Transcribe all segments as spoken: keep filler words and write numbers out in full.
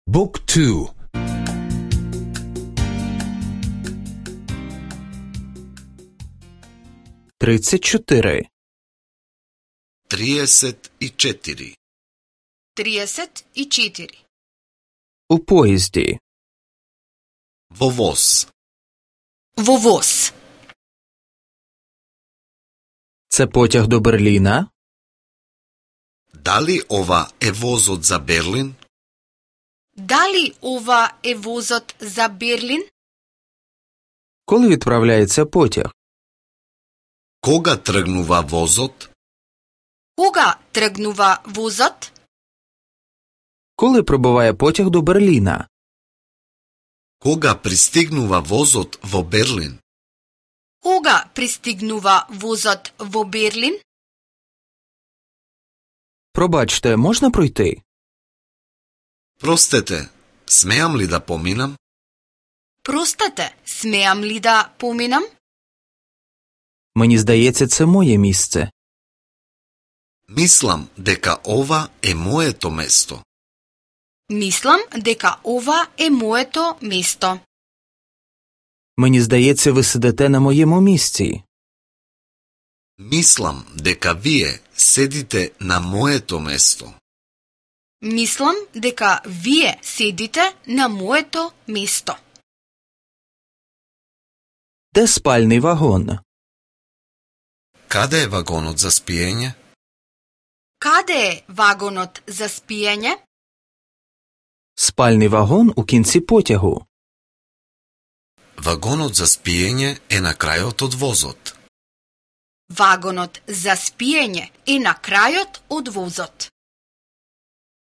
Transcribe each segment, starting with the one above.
Book two. тридцять чотири. Триесет и четири. тридцать и четири. У поїзді. Во воз. Во воз. Це потяг до Берліна? Дали ова е возот за Берлин? Дали ова е возот за Берлин? Коли відправляється потяг? Кога тргнува возот? Кога тргнува возот? Коли прибуває потяг до Берліна? Кога пристигнува возот во Берлин? Кога пристигнува возот во Берлин? Пробачте, можна пройти? Простете, смеам ли да поминам? Простете, смеам ли да поминам? Мені здається, це моє місце. Мислам дека ова е моето место. Мислам дека ова е моето место. Мені здається, ви сидите на моєму місці. Мислам дека вие седите на моето место. Мислам дека вие седите на моето место. Де спальний вагон? Каде е вагонот за спиење? Каде е вагонот за спиење? Спальний вагон у кінці потягу. Вагонот за спиење е на крајот од возот. Вагонот за спиење е на крајот од возот.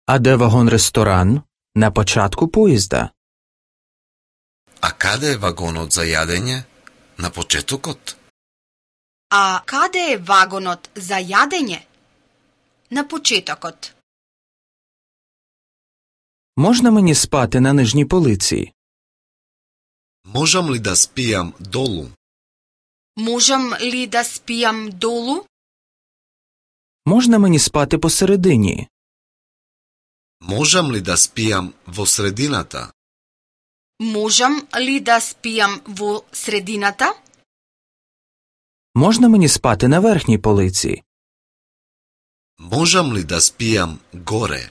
А де вагон-ресторан? На початку поїзда. А каде е вагонот за јадење? На почетокот? А каде е вагонот за јадење? На почетокот. Можна мені спати на нижній полиці? Можам ли да спијам долу? Можам ли да спијам долу? Можна мені спати посередині? Можам ли да спијам во средината? Можам ли да спијам во средината? Можна мені спати на верхній полиці? Можам ли да спијам горе?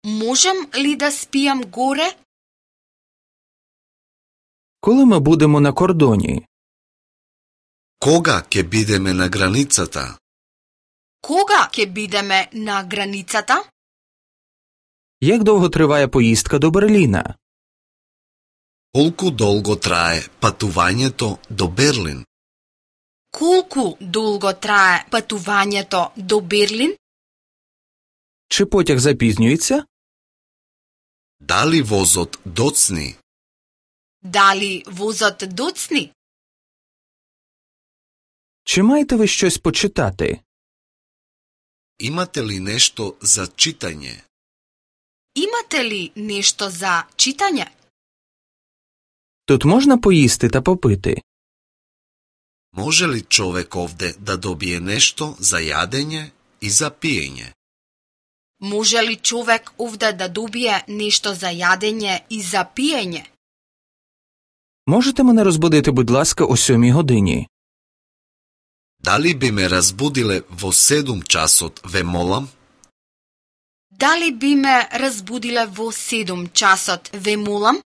Можам ли да спијам горе? Коли ми будемо на кордоні? Кога ќе бидеме на границата? Кога ќе бидеме на границата? Як довго триває поїздка до Берліна? Колку долго трае патувањето до Берлин? Колку долго трае патувањето до Берлин? Чи потяг запізнюється? Дали возот доцни? Дали возот доцни? Чи маєте ви щось почитати? Имате ли нешто за читање? Имате ли нешто за читање? Тут можна поїсти та попити? Може ли човек овде да добие нешто за јадење и за пиење? Може ли човек овде да добие нешто за јадење и за пиење? Можете мене розбудити, будь ласка, о сьомій годині? Дали би ме разбудиле во седум часот, ве молам? Дали би ме разбудиле во седум часот, ве молам?